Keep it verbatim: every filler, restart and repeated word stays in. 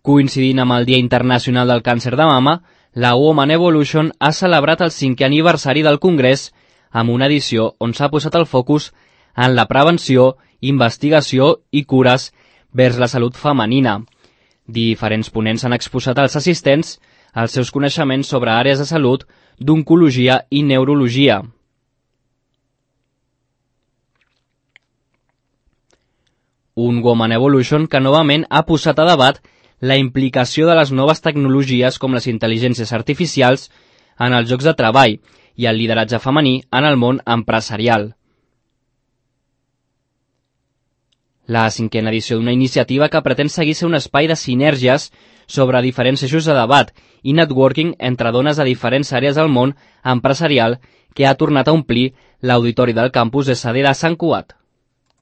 Coincidint amb el Dia Internacional del Càncer de Mama, la Woman Evolution ha celebrat el cinquè aniversari del Congrés amb una edició on s'ha posat el focus en la prevenció, investigació i cures vers la salut femenina. Diferents ponents han exposat als assistents els seus coneixements sobre àrees de salut, d'oncologia i neurologia. Un Woman Evolution que novament ha posat a debat la implicació de les noves tecnologies com les intel·ligències artificials en els llocs de treball i el lideratge femení en el món empresarial. La cinquena edició d'una iniciativa que pretén seguir ser un espai de sinergies sobre diferents eixos de debat i networking entre dones de diferents àrees del món empresarial que ha tornat a omplir l'auditori del campus S D de Sant Cugat.